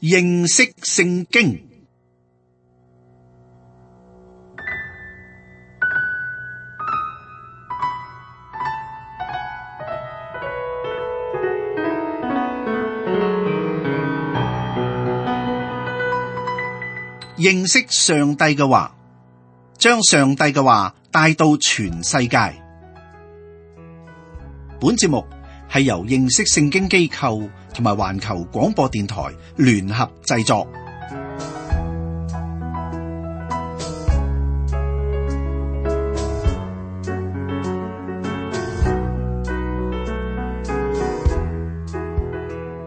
認識聖經。認識上帝嘅話，將上帝嘅話帶到全世界。本節目係由認識聖經機構同埋環球廣播電台聯合製作。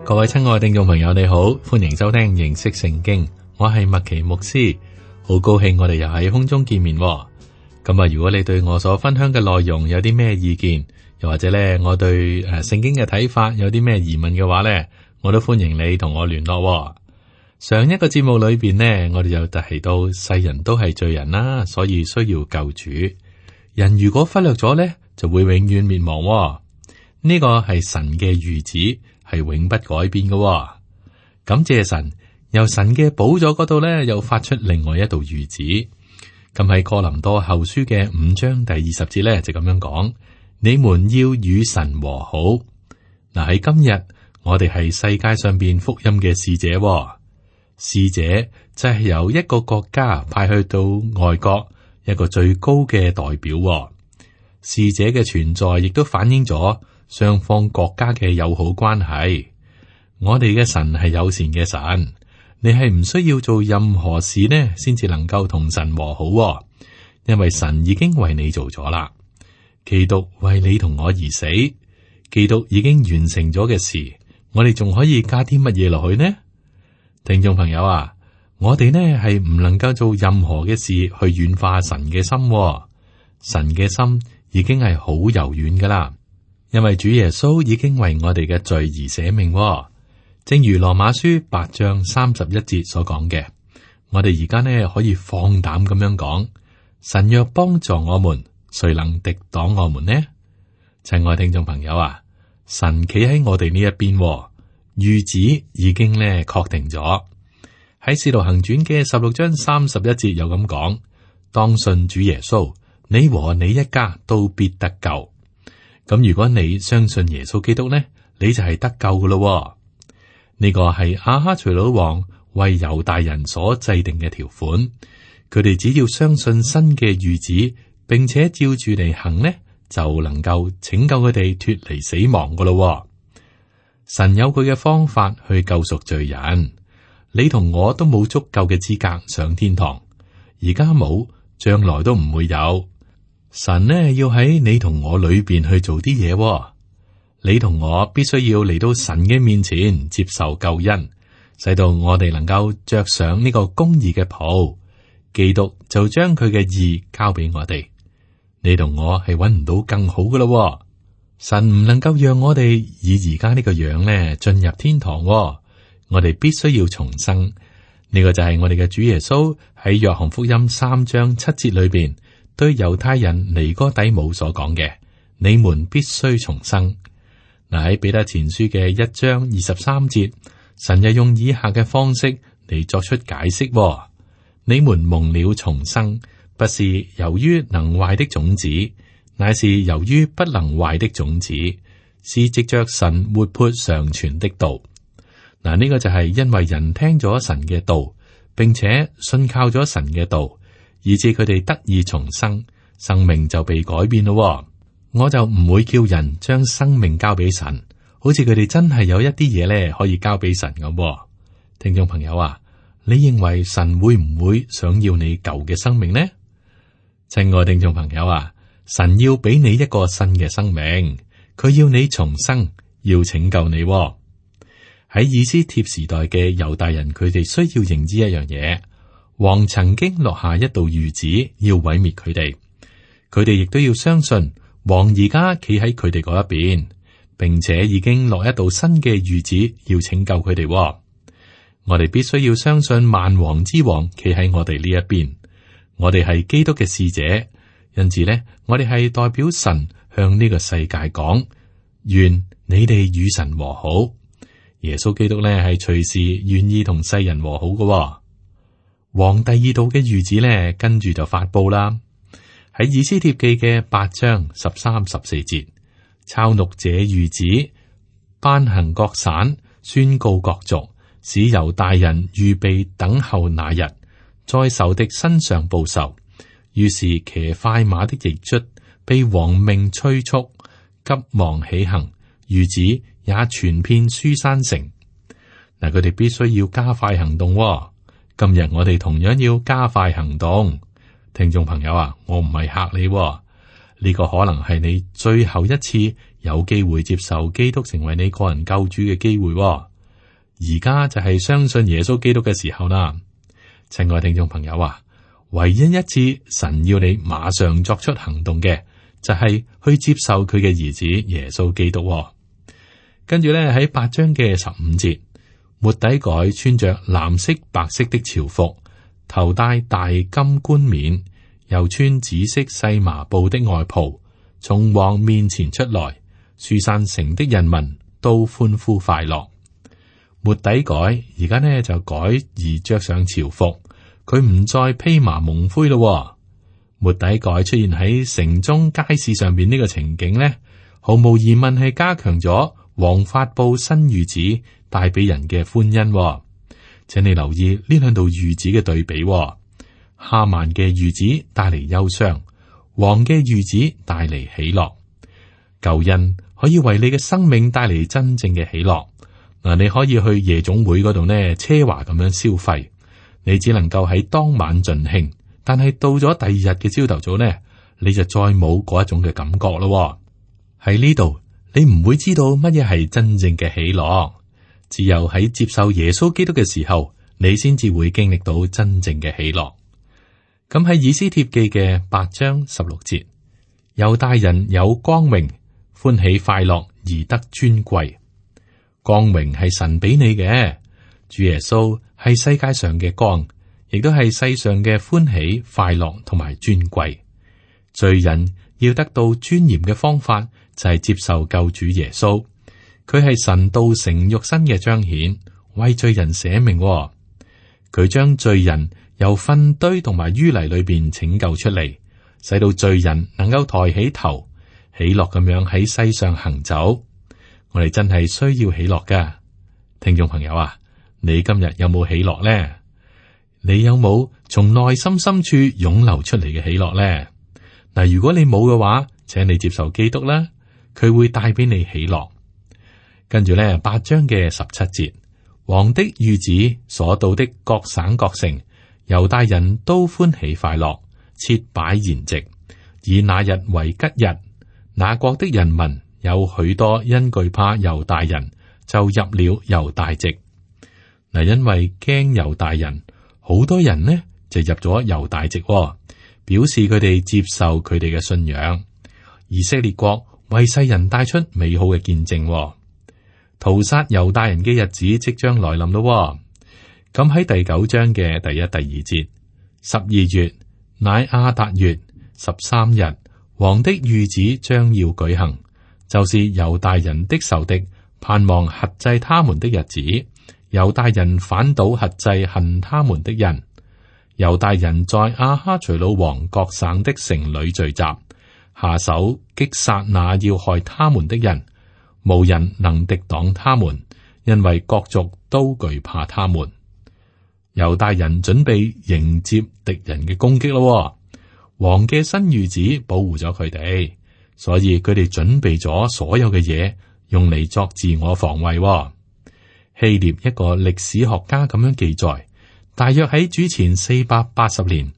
各位親愛嘅聽眾朋友，你好，歡迎收聽認識聖經。我係麥奇牧師，好高興我哋又喺空中見面。咁啊，如果你對我所分享嘅內容有啲咩意見，又或者咧我對聖經嘅睇法有啲咩疑問嘅話咧，我都歡迎你同我聯絡。上一個節目裏邊呢，我哋就提到世人都係罪人啦，所以需要救主。人如果忽略咗咧，就會永遠滅亡。呢個係神嘅預旨，係永不改變嘅。感謝神。由神嘅寶座嗰度咧，又發出另外一道諭旨。咁喺哥林多後書嘅5章第20節咧，就咁樣講：你們要與神和好。嗱，喺今日，我哋係世界上邊福音嘅使者。使者就係由一個國家派去到外國一個最高嘅代表。使者嘅存在亦都反映咗雙方國家嘅友好關係。我哋嘅神係友善嘅神。你係唔需要做任何事呢，先至能夠同神和好，因為神已經為你做咗啦。基督為你同我而死，基督已經完成咗嘅事，我哋仲可以加啲乜嘢落去呢？聽眾朋友啊，我哋呢係唔能夠做任何嘅事去軟化神嘅心，神嘅心已經係好柔軟噶啦，因為主耶穌已經為我哋嘅罪而捨命。正如羅馬書8章31節所講嘅，我哋而家呢可以放膽咁樣講：神若幫助我們，誰能敵擋我們呢？親愛聽眾朋友啊，神企喺我哋呢一邊，諭旨已經呢確定咗。喺使徒行傳嘅16章31節有咁講：當信主耶穌，你和你一家都必得救。咁如果你相信耶穌基督呢，你就係得救噶咯。呢個係亞哈隨魯王為猶大人所制定嘅條款，佢哋只要相信新嘅諭旨，並且照住嚟行呢，就能夠拯救佢哋脫離死亡噶咯。神有佢嘅方法去救贖罪人，你同我都冇足夠嘅資格上天堂，而家冇，將來都唔會有。神呢要喺你同我裏邊去做啲嘢。你同我必須要嚟到神嘅面前接受救恩，使到我哋能夠着上呢個公義嘅袍。基督就將佢嘅義交俾我哋。你同我係揾唔到更好嘅咯。神唔能夠讓我哋以而家呢個樣咧進入天堂。我哋必須要重生。呢個就係我哋嘅主耶穌喺約翰福音3章7節裏邊對猶太人尼哥底母所講嘅：你們必須重生。嗱，喺彼得前書嘅1章23節，神又用以下嘅方式嚟作出解釋：你們蒙了重生，不是由於能壞的種子，乃是由於不能壞的種子，是藉着神活潑常存的道。嗱，呢個就係因為人聽咗神嘅道，並且信靠咗神嘅道，以致佢哋得以重生，生命就被改變咯。我就唔會叫人將生命交俾神，好似佢哋真係有一啲嘢咧可以交俾神咁。聽眾朋友啊，你認為神會唔會想要你舊嘅生命呢？親愛聽眾朋友啊，神要俾你一個新嘅生命，佢要你重生，要拯救你。喺以斯帖時代嘅猶大人，佢哋需要認知一樣嘢：王曾經落下一道諭旨，要毀滅佢哋。佢哋亦都要相信。王而家企喺佢哋嗰一邊，並且已經落一道新嘅諭旨，要拯救佢哋。我哋必須要相信萬王之王企喺我哋呢一邊。我哋係基督嘅使者，因此呢，我哋係代表神向呢個世界講：願你哋與神和好。耶穌基督咧係隨時願意同世人和好嘅。王第二道嘅諭旨咧，跟住就發佈啦。喺以斯帖記嘅8章13、14節，抄錄這諭旨，頒行各省，宣告各族，使猶大人預備等候那日，在仇敵身上報仇。於是騎快馬的驛卒被王命催促，急忙起行，諭旨也傳遍書山城。嗱，佢哋必須要加快行動。今日我哋同樣要加快行動。聽眾朋友啊，我唔係嚇你，呢個可能係你最後一次有機會接受基督成為你個人救主嘅機會。而家就係相信耶穌基督嘅時候啦。親愛聽眾朋友啊，唯一一次神要你馬上作出行動嘅，就係去接受佢嘅兒子耶穌基督。跟住咧喺8章嘅15節，末底改穿着藍色白色的朝服，頭戴大金冠冕，又穿紫色細麻布的外袍，從王面前出來，書珊城的人民都歡呼快樂。末底改而家呢就改而着上朝服，佢唔再披麻蒙灰咯。末底改出現喺城中街市上邊呢個情景呢，毫無疑問係加強咗王發布新諭旨帶俾人嘅歡欣。請你留意呢兩道諭旨嘅對比。哈曼嘅諭旨帶嚟憂傷，王嘅諭旨帶嚟喜樂。救恩可以為你嘅生命帶嚟真正嘅喜樂。嗱，你可以去夜總會嗰度呢，奢華咁樣消費，你只能夠喺當晚盡興，但係到咗第二日嘅朝頭早呢，你就再冇嗰一種嘅感覺咯。喺呢度，你唔會知道乜嘢係真正嘅喜樂。只有喺接受耶穌基督嘅時候，你先至會經歷到真正嘅喜樂。咁喺以斯帖記嘅8章16節，猶大人有光榮，歡喜快樂而得尊貴。光榮係神俾你嘅，主耶穌係世界上嘅光，亦都係世上嘅歡喜快樂同埋尊貴。罪人要得到尊嚴嘅方法就係接受救主耶穌。佢係神道成肉身嘅彰顯，為罪人捨命。佢將罪人由糞堆同埋淤泥裏邊拯救出嚟，使到罪人能夠抬起頭，喜樂咁樣喺世上行走。我哋真係需要喜樂噶，聽眾朋友啊，你今日有冇喜樂呢？你有冇從內心深處湧流出嚟嘅喜樂呢？嗱，如果你冇嘅話，請你接受基督啦，佢會帶俾你喜樂。跟住咧，8章嘅17節，王的諭旨所到的各省各城，猶大人都歡喜快樂，設擺筵席，以那日為吉日。那國的人民有許多因懼怕猶大人，就入了猶大籍。嗱，因為驚猶大人，好多人呢就入咗猶大籍，表示佢哋接受佢哋嘅信仰。以色列國為世人帶出美好嘅見證。屠殺猶大人嘅日子即將來臨咯。咁喺第9章嘅第1、第2節，12月乃亞達月13日，王的諭旨將要舉行，就是猶大人的仇敵盼望轄制他們的日子。猶大人反倒轄制恨他們的人。猶大人在亞哈隨魯王各省的城裏聚集，下手擊殺那要害他們的人。無人能敵擋他們，因為各族都懼怕他們。猶大人準備迎接敵人嘅攻擊咯。王嘅新諭旨保護咗佢哋，所以佢哋準備咗所有嘅嘢，用嚟作自我防衛。希臘一個歷史學家咁樣記載，大約喺主前480年，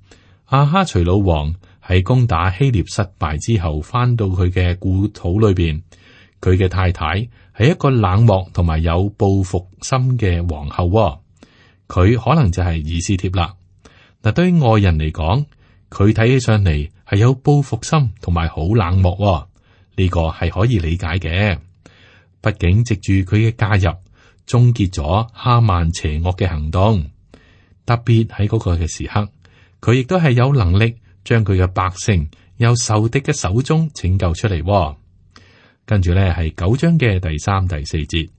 亞哈隨魯王喺攻打希臘失敗之後，翻到佢嘅故土裏邊。佢嘅太太係一個冷漠同埋有報復心嘅皇后。佢可能就係以斯帖啦。嗱，對於外人嚟講，佢睇起上嚟係有報復心同埋好冷漠。呢個係可以理解嘅。畢竟藉住佢嘅加入，終結咗哈曼邪惡嘅行動。特別喺嗰個嘅時刻，佢亦都係有能力將佢嘅百姓由仇敵嘅手中拯救出嚟。跟住咧係9章嘅第3、第4節，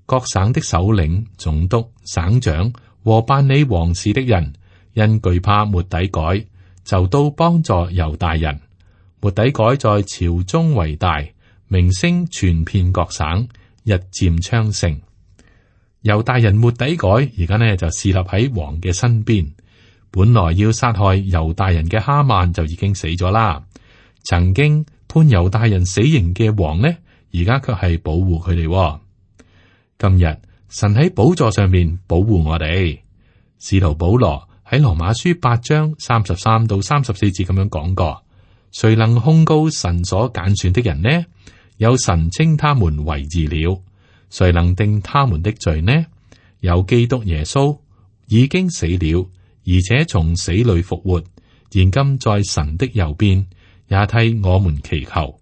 各省的首領、總督、省長和辦理王事的人，因懼怕末底改，就都幫助猶大人。末底改在朝中為大，名聲傳遍各省，日漸昌盛。猶大人末底改而家呢就侍立喺王嘅身邊。本來要殺害猶大人嘅哈曼就已經死咗啦。曾經判猶大人死刑嘅王呢，而家卻係保護佢哋。今日神喺寶座上面保護我哋。使徒保羅喺羅馬書8章33到34節咁樣講過：誰能控告神所揀選的人呢？有神稱他們為義了。誰能定他們的罪呢？有基督耶穌已經死了，而且從死裏復活，現今在神的右邊，也替我們祈求。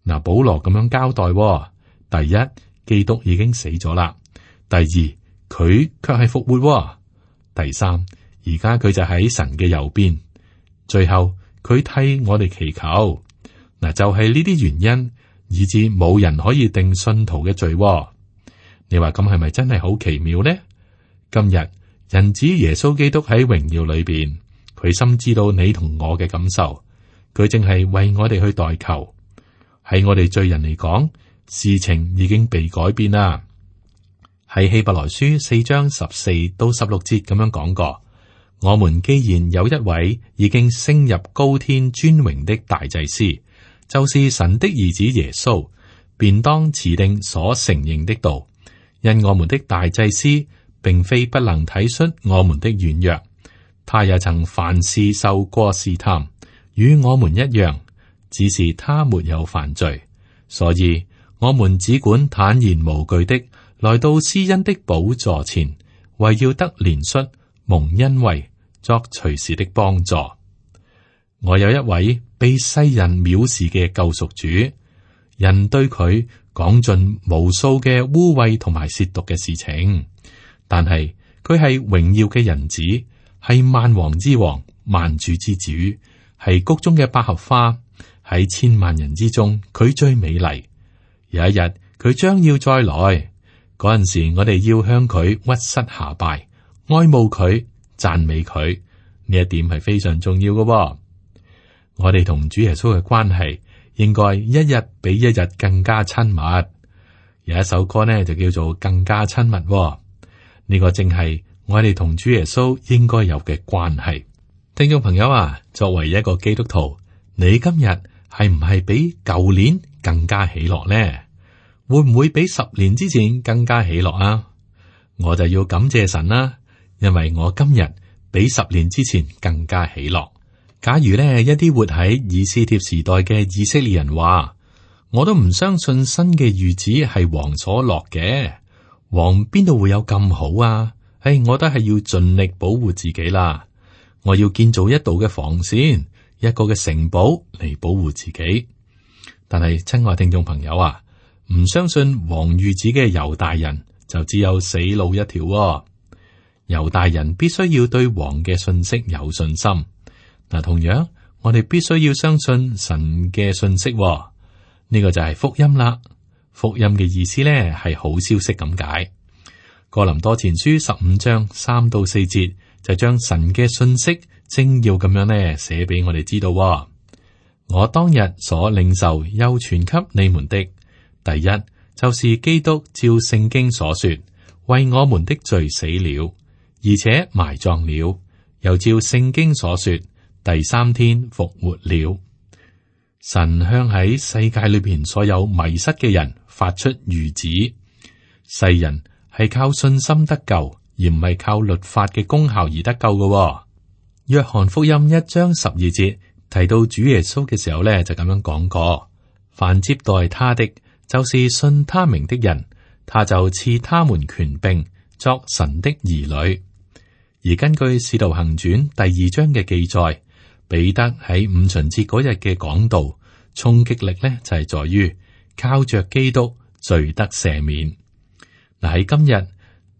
嗱，保羅咁樣交代：第一，基督已經死咗啦；第二，佢卻係復活；第三，而家佢就喺神嘅右邊；最後佢替我哋祈求。嗱，就係呢啲原因，以致冇人可以定信徒嘅罪。你話咁係咪真係好奇妙呢？今日人子耶穌基督喺榮耀裏邊，佢深知道你同我嘅感受，佢淨係為我哋去代求。喺我哋罪人嚟講，事情已經被改變啦。喺希伯來書4章14到16節咁樣講過：我們既然有一位已經升入高天尊榮的大祭司，就是神的兒子耶穌，便當持定所承認的道。因我們的大祭司並非不能體恤我們的軟弱，他也曾凡事受過試探，與我們一樣，只是他沒有犯罪。所以我們只管坦然無懼的來到施恩的寶座前，為要得憐恤、蒙恩惠、作隨時的幫助。我有一位被世人藐視嘅救贖主，人對佢講盡無數嘅污穢同埋褻瀆嘅事情，但係佢係榮耀嘅人子，係萬王之王、萬主之主，係谷中嘅百合花，喺千萬人之中佢最美麗。有一日佢將要再來，嗰陣時我哋要向佢屈膝下拜，愛慕佢，讚美佢。呢一點係非常重要嘅。我哋同主耶穌嘅關係應該一日比一日更加親密。有一首歌呢就叫做更加親密。呢個正係我哋同主耶穌應該有嘅關係。聽眾朋友啊，作為一個基督徒，你今日係唔係比舊年更加喜樂呢？會唔會比10年之前更加喜樂啊？我就要感謝神啦，因為我今日比10年之前更加喜樂。假如呢一啲活喺以斯帖時代嘅以色列人話，我都唔相信新嘅諭旨係王所落嘅，王邊度會有咁好啊？我都係要盡力保護自己啦。我要建造一道嘅防線，一個嘅城堡嚟保護自己。但係親愛聽眾朋友啊，唔相信王諭旨嘅猶大人就只有死路一條喎。猶大人必須要對王嘅信息有信心。嗱，同樣我哋必須要相信神嘅信息喎。呢個就係福音啦。福音嘅意思咧係好消息咁解。哥林多前書15章3到4節就將神嘅信息精要咁樣咧寫俾我哋知道喎。我當日所領受又傳給你們的，第一就是基督照聖經所說，為我們的罪死了，而且埋葬了，又照聖經所說，第3天復活了。神向喺世界裏邊所有迷失嘅人發出諭旨，世人係靠信心得救，而唔係靠律法嘅功效而得救嘅喎。約翰福音1章12節提到主耶穌嘅時候咧，就咁樣講過：凡接待他的，就是信他名的人，他就賜他們權柄作神的兒女。而根據使徒行傳第2章嘅記載，彼得喺五旬節嗰日嘅講道，衝擊力咧就係在於靠着基督罪得赦免。嗱，喺今日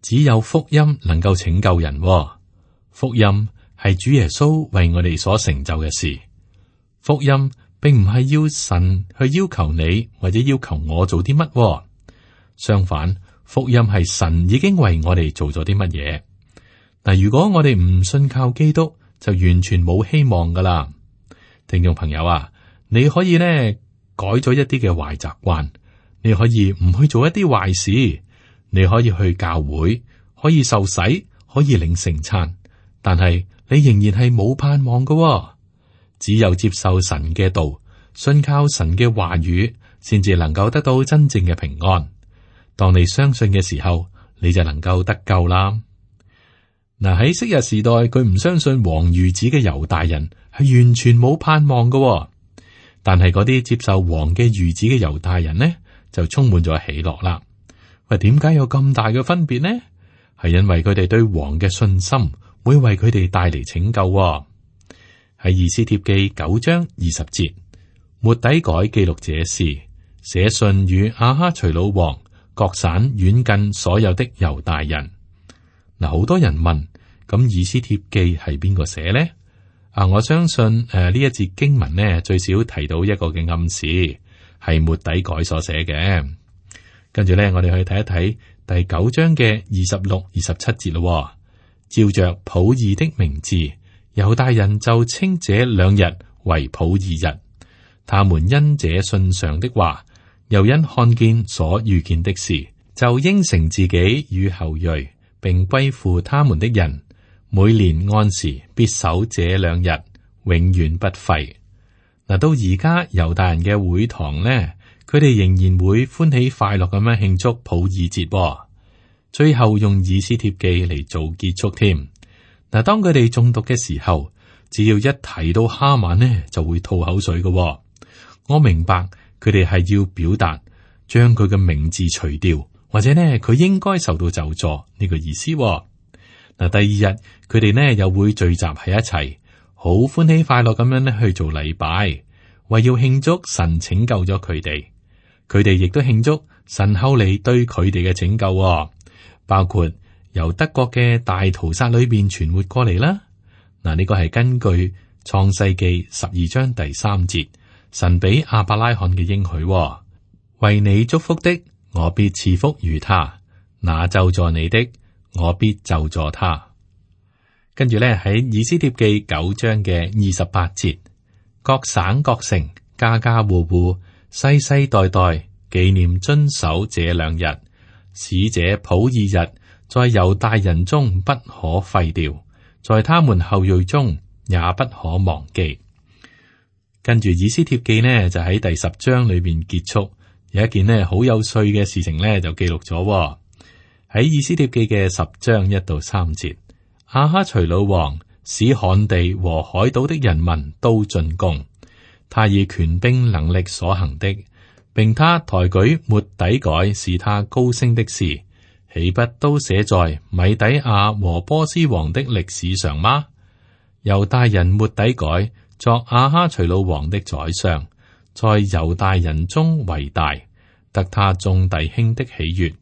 只有福音能夠拯救人喎。福音係主耶穌為我哋所成就嘅事。福音並唔係要神去要求你或者要求我做啲乜喎。相反，福音係神已經為我哋做咗啲乜嘢。嗱，如果我哋唔信靠基督，就完全冇希望噶啦。聽眾朋友啊，你可以呢改咗一啲嘅壞習慣，你可以唔去做一啲壞事，你可以去教會，可以受洗，可以領聖餐，但係你仍然係冇盼望噶喎。只有接受神嘅道，信靠神嘅話語，先至能夠得到真正嘅平安。當你相信嘅時候，你就能夠得救啦。嗱，喺昔日時代，佢唔相信王諭旨嘅猶大人係完全冇盼望㗎喎。但係嗰啲接受王嘅諭旨嘅猶大人呢，就充滿咗喜樂啦。喂，點解有咁大嘅分別呢？係因為佢哋對王嘅信心會為佢哋帶嚟拯救喎。喺以斯帖記9章20節，末底改記錄這事，寫信與亞哈隨魯王、各省遠近所有的猶大人。嗱，好多人問，咁以斯帖記係邊個寫呢？我相信呢一節經文呢，最少提到一個嘅暗示，係末底改所寫嘅。跟住呢，我哋去睇一睇第9章嘅26、27節咯。照着普珥的名字，猶大人就稱這2日為普珥日。他們因這信上的話，又因看見所遇見的事，就應承自己與後裔，並歸附他們的人，每年按時必守這2日，永遠不廢。嗱，到而家猶大人嘅會堂呢，佢哋仍然會歡喜快樂咁樣慶祝普珥節。最後用以斯帖記嚟做結束添。嗱，當佢哋誦讀嘅時候，只要一提到哈曼呢，就會吐口水嘅。我明白佢哋係要表達將佢嘅名字除掉，或者呢佢應該受到咒詛呢個意思。嗱，第2日佢哋呢又會聚集喺一齊，好歡喜快樂咁樣呢去做禮拜，為要慶祝神拯救咗佢哋。佢哋亦都慶祝神後嚟對佢哋嘅拯救，包括由德國嘅大屠殺裏邊存活過嚟啦。嗱，呢個係根據創世記12章第3節。神俾亞伯拉罕嘅應許，為你祝福的，我必賜福於他；那咒詛你的，我必咒詛他。跟住咧喺以斯帖記9章嘅28節，各省各城家家戶戶世世代代紀念遵守這2日，使這普珥日在猶大人中不可廢掉，在他們後裔中也不可忘記。跟住以斯帖記呢，就喺第10章裏邊結束，有一件呢好有趣嘅事情呢，就記錄咗喺以斯帖記嘅10章1到3節。亞哈隨魯王使旱地和海島的人民都進貢，他以權柄能力所行的，並他抬舉末底改使他高升的事，豈不都寫在米底亞和波斯王的歷史上嗎？猶大人末底改作亞哈隨魯王的宰相，在猶大人中為大，得他眾弟兄的喜悅，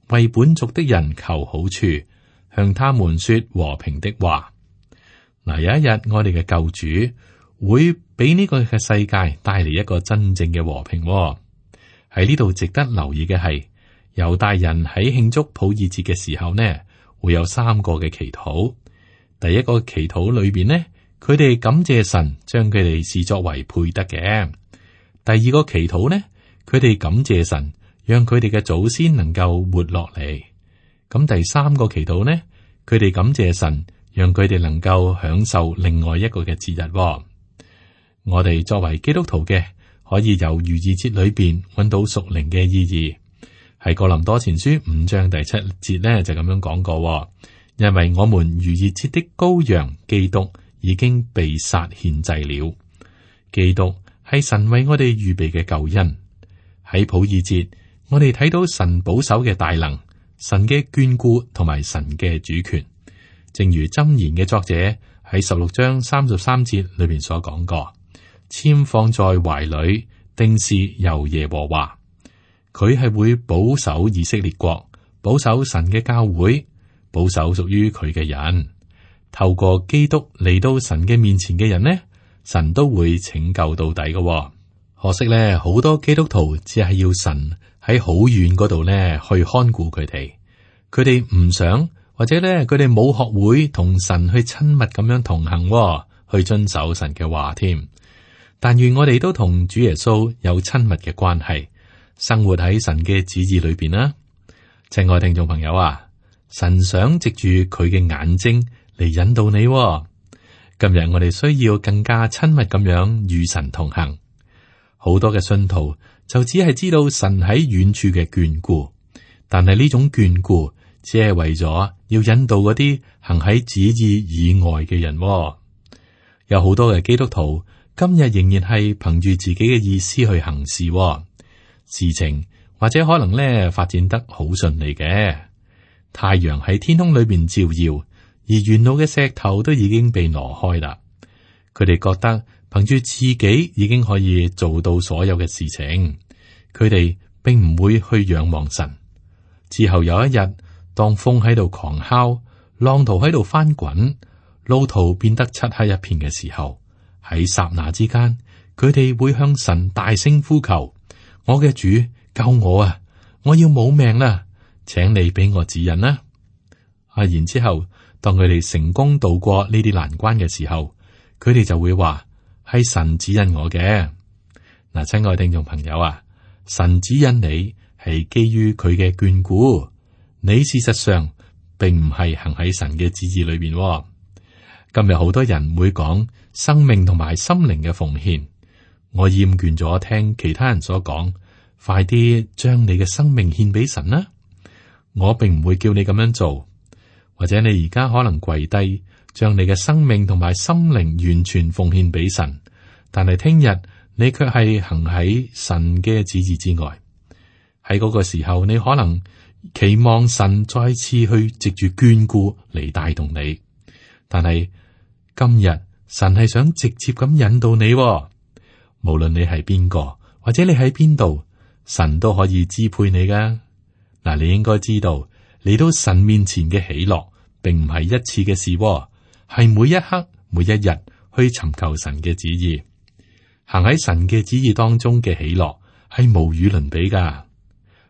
為本族的人求好處，向他們說和平的話。嗱，有一日我哋嘅救主會俾呢個嘅世界帶嚟一個真正嘅和平。喺呢度值得留意嘅係，猶大人喺慶祝普珥節嘅時候呢，會有3個嘅祈禱。第一個祈禱裏邊呢，佢哋感謝神將佢哋視作為配得嘅。第二個祈禱呢，佢哋感謝神讓佢哋嘅祖先能夠活落嚟。咁第3個祈禱呢，佢哋感謝神讓佢哋能夠享受另外一個嘅節日。我哋作為基督徒嘅，可以由逾越節裏邊揾到屬靈嘅意義。喺哥林多前書5章第7節呢，就咁樣講過，因為我們逾越節的羔羊基督已經被殺獻祭了。基督係神為我哋預備嘅救恩。喺普珥節，我哋睇到神保守嘅大能，神嘅眷顧同埋神嘅主權。正如箴言嘅作者喺16章33節裏邊所講過，籤放在懷裏，定是由耶和華。佢係會保守以色列國，保守神嘅教會，保守屬於佢嘅人。透過基督嚟到神嘅面前嘅人呢，神都會拯救到底嘅。可惜咧，好多基督徒只係要神喺好遠嗰度咧去看顧佢哋。佢哋唔想，或者咧佢哋冇學會同神去親密咁樣同行，去遵守神嘅話添。但願我哋都同主耶穌有親密嘅關係，生活喺神嘅旨意裏邊啦。親愛聽眾朋友啊，神想藉住佢嘅眼睛嚟引導你。今日我哋需要更加親密咁樣與神同行。好多嘅信徒就只係知道神喺遠處嘅眷顧，但係呢種眷顧只係為咗要引導嗰啲行喺旨意以外嘅人。有好多嘅基督徒今日仍然係憑住自己嘅意思去行事，事情或者可能咧發展得好順利嘅。太陽喺天空裏邊照耀，而沿路嘅石頭都已經被挪開啦。佢哋覺得憑住自己已經可以做到所有嘅事情，佢哋並唔會去仰望神。之後有一日，當風喺度狂敲，浪濤喺度翻滾，路途變得漆黑一片嘅時候，喺剎那之間，佢哋會向神大聲呼求：我嘅主，救我啊！我要冇命啦，請你俾我指引啦。然之後，當佢哋成功渡過呢啲難關嘅時候，佢哋就會話係神指引我嘅。嗱，親愛聽眾朋友啊，神指引你係基於佢嘅眷顧，你事實上並唔係行喺神嘅旨意裏邊。今日好多人會講生命同埋心靈嘅奉獻，我厭倦咗聽其他人所講，快啲將你嘅生命獻俾神啦。我並唔會叫你咁樣做，或者你而家可能跪低，將你嘅生命同埋心靈完全奉獻俾神，但係聽日你卻係行喺神嘅旨意之外。喺嗰個時候，你可能期望神再次去藉住眷顧嚟帶動你，但係今日神係想直接咁引導你，無論你係邊個或者你喺邊度，神都可以支配你噶。嗱，你應該知道嚟到神面前嘅喜樂，並唔係一次嘅事，係每一刻每一日去尋求神嘅旨意，行喺神嘅旨意當中嘅喜樂係無與倫比噶。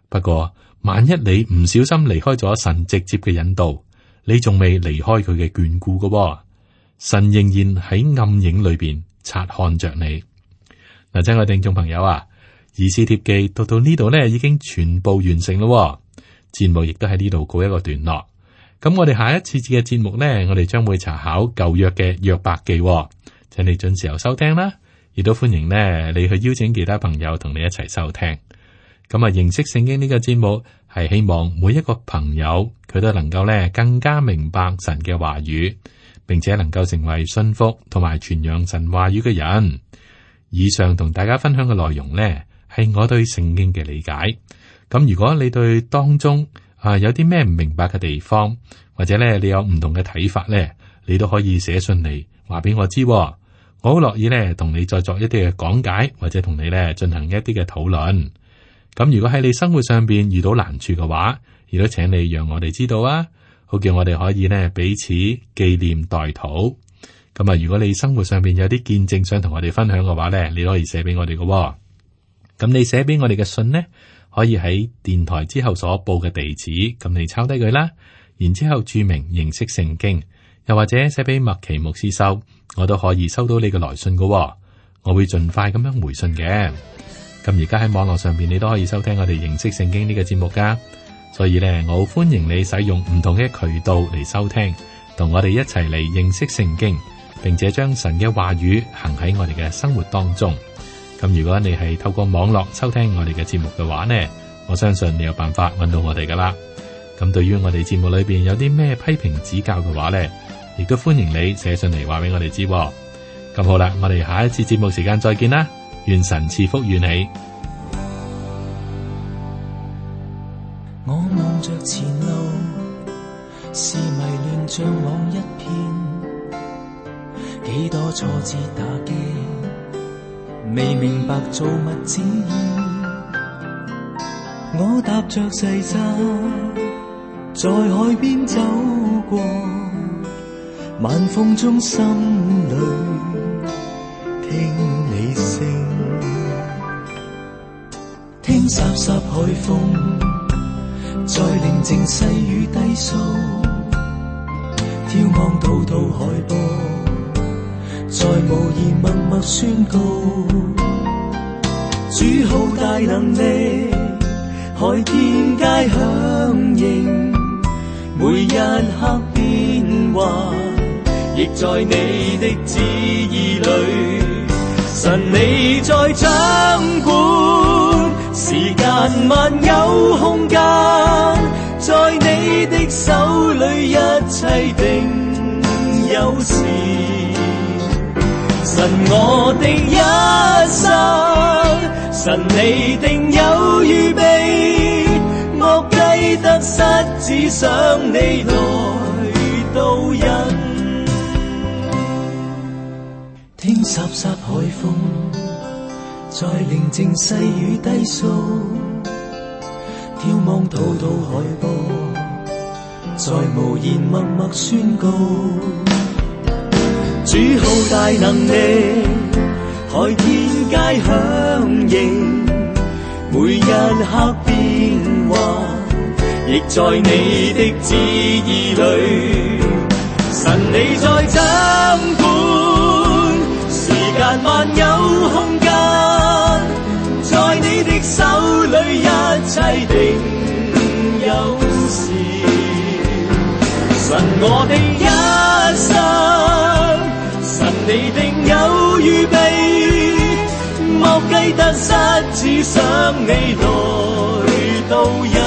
不過萬一你唔小心離開咗神直接嘅引導，你仲未離開佢嘅眷顧噶，神仍然喺暗影裏邊察看着你。嗱，親愛聽眾朋友啊，以斯帖記讀到呢度呢，已經全部完成咯。節目亦都喺呢度告一個段落。咁我哋下一次嘅節目呢，我哋將會查考舊約嘅約伯記，請你準時候收聽啦。亦都歡迎呢，你去邀請其他朋友同你一齊收聽。咁啊，認識聖經呢個節目係希望每一個朋友佢都能夠呢更加明白神嘅話語，並且能夠成為信服同埋傳揚神話語嘅人。以上同大家分享嘅內容呢，係我對聖經嘅理解。咁如果你對當中有啲咩唔明白嘅地方，或者咧你有唔同嘅睇法咧，你都可以寫信嚟話俾我知。我好樂意咧同你再作一啲嘅講解，或者同你咧進行一啲嘅討論。咁如果喺你生活上邊遇到難處嘅話，亦都請你讓我哋知道啊，好叫我哋可以咧彼此紀念代禱。咁啊，如果你生活上邊有啲見證想同我哋分享嘅話咧，你都可以寫俾我哋嘅。咁你寫俾我哋嘅信呢，可以喺電台之後所報嘅地址，咁你抄低佢啦，然之後注明認識聖經，又或者寫俾麥奇牧師收，我都可以收到你嘅來信嘅。我會盡快咁樣回信嘅。咁而家喺網絡上邊，你都可以收聽我哋認識聖經呢個節目噶，所以呢，我好歡迎你使用唔同嘅渠道嚟收聽，同我哋一齊嚟認識聖經，並且將神嘅話語行喺我哋嘅生活當中。咁如果你係透過網絡收聽我哋嘅節目嘅話呢，我相信你有辦法揾到我哋噶啦。咁對於我哋節目裏邊有啲咩批評指教嘅話呢，亦都歡迎你寫信嚟話俾我哋知。咁好啦，我哋下一次節目時間再見啦，願神賜福與你。我望着前路，是迷亂像網一片，幾多挫折打擊，未明白造物旨意。我踏着細沙，在海邊走過，晚風中心裏聽你聲，聽聽颯颯海風，在寧靜細雨低訴，眺望滔滔海波，在無言默默宣告，主好大能力，海天皆響應，每一刻變幻，亦在你的旨意裏。神你在掌管，時間萬有空間，在你的手裏一切定有時。神我的一生，神你定有預備，莫計得失，只想你來導引。聽颯颯海風，在寧靜細雨低訴，眺望滔滔海波，在無言默默宣告，主好大能力，海天皆響應，每一刻變幻，亦在你的旨意裏。神你在掌管，時間萬有空間，在你的手裏一切定有時。神我的一生，神你定有預備，莫計得失，只想你來導引。